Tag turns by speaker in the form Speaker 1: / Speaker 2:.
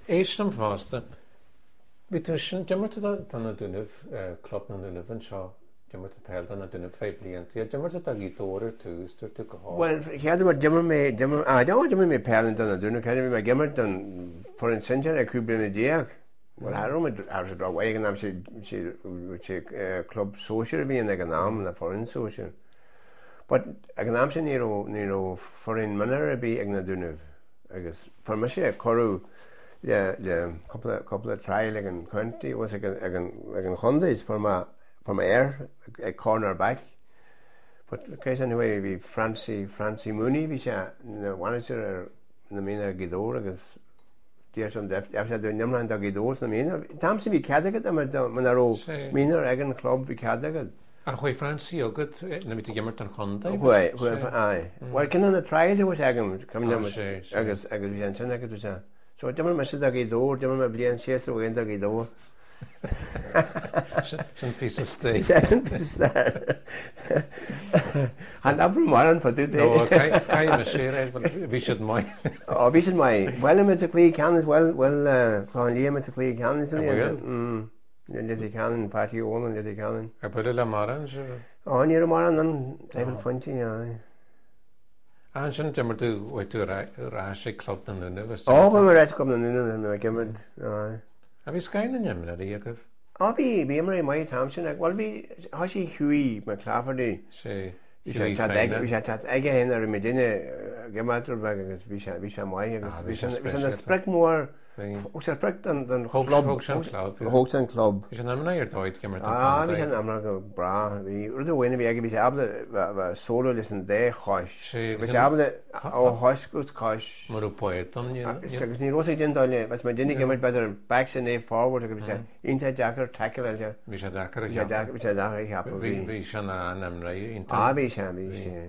Speaker 1: Éist liom fosta. Bhí tú ansin, d'imir tú do na Dúnaibh, Club na nDúnaibh anseo, d'imir tú peil do na Dúnaibh feadh blianta. D'imir tú do Ghaoth Dobhair ar tús, dúirt tú go hard.
Speaker 2: Bhuel, chéad uair d'imir mé, d'imir, ah, d'imir mé peil do na Dúnaibh, chéad uair bhí mé ag imirt don foireann sinsear ag 15 bliana. Bhuel, cha raibh muid, cha raibh sé rómhaith ag an am, sé, sé, sé club sóisir a bhí ann ag an am, na foireann sóisir. But ag an am sin ní raibh, ní raibh foireann mionúir ar bith ag na Dúnaibh agus fuair mise cuireadh le, le cúpla, cúpla trial ag an county agus ag an, ag an, ag an chontae is fuair mé, fuair mé air ag corner back. But cé sin way bhí Francie, Francie Mooney, bhí sé ina mhanager ar na mionúir Ghaoth Dobhair agus D'iarr sé d'iarr sé dá n-imreoinn do Ghaoth Dobhair sna mionúir. An t-am sin bhí cead agat imirt muna raibh mionúir ag an chlub bhí cead agat.
Speaker 1: Ach chuaigh Francie chugat nuair a bhí tú ag imirt don chontae?
Speaker 2: Chuaigh, chuaigh, aye. Bhuel ceann de na trials a bhí agam, cuimhin liom, agus agus bhí sé ansin agus bhí sé, so d'imir mise do Ghaoth Dobhair, d'imir mé bliain séasúr amháin do Ghaoth Dobhair.
Speaker 1: Sin píosa stair.
Speaker 2: Sin píosa stair. Chan abrú mar an fadú
Speaker 1: é. No, caithfidh mise é a rá, bhí siad maith.
Speaker 2: Ó, bhí siad maith. Bhuel, muid sa chluiche ceannais, bhuel, bhuel, Clochán Liath muid sa chluiche ceannais.
Speaker 1: An bhfuil?
Speaker 2: Leitir Ceanainn, Páirtí Ólan, Leitir Ceanainn.
Speaker 1: Ar buaileadh le mórán, sure?
Speaker 2: Ó, ní raibh mórán ann, traidhfil phointí, aye.
Speaker 1: Ah, ansin d'imir tú, chuaigh tú ar ais ag Club na nDúnaibh
Speaker 2: is Ó, chuaigh mé ar ais Club na nDúnaibh, bhí mé ag imirt, aye.
Speaker 1: Ah, bhí scoth na n-imreoirí agaibh.
Speaker 2: Ó, bhí, bhí imreoirí maith an t-am sin, bhuel bhí, thoisigh Hughie McClafferty.
Speaker 1: Sea.
Speaker 2: Bhí sé ag teacht, bhí sé ag teacht aige féin ar muid duine ag imirt rud beag agus bhí sé, bhí sé maith agus bhí sé, bhí sé ina sprioc mhór, thug sé sprioc don, don chlub.
Speaker 1: Thóg sé an club.
Speaker 2: Thóg sé an club.
Speaker 1: Bhí sé in imreoir ar dóigh ag imirt don chontae.
Speaker 2: Ah, bhí sé in imreoir go breá. Bhí rud amháin a bhí aige, bhí sé ábalta bheith solo leis an dá chois. Bhí sé ábalta ó chois go cois.
Speaker 1: Mar raibh poet ann.
Speaker 2: Agus ní raibh sé ag déanamh dul le, bheadh muid ag imirt b'fhéidir back sin é forward agus bhí sé iontach deacair tackle a
Speaker 1: Bhí sé deacair
Speaker 2: a cheapadh. Bhí sé deacair a cheapadh.
Speaker 1: Bhí sé ina imreoir
Speaker 2: iontach. Ah, bhí sé, bhí sé.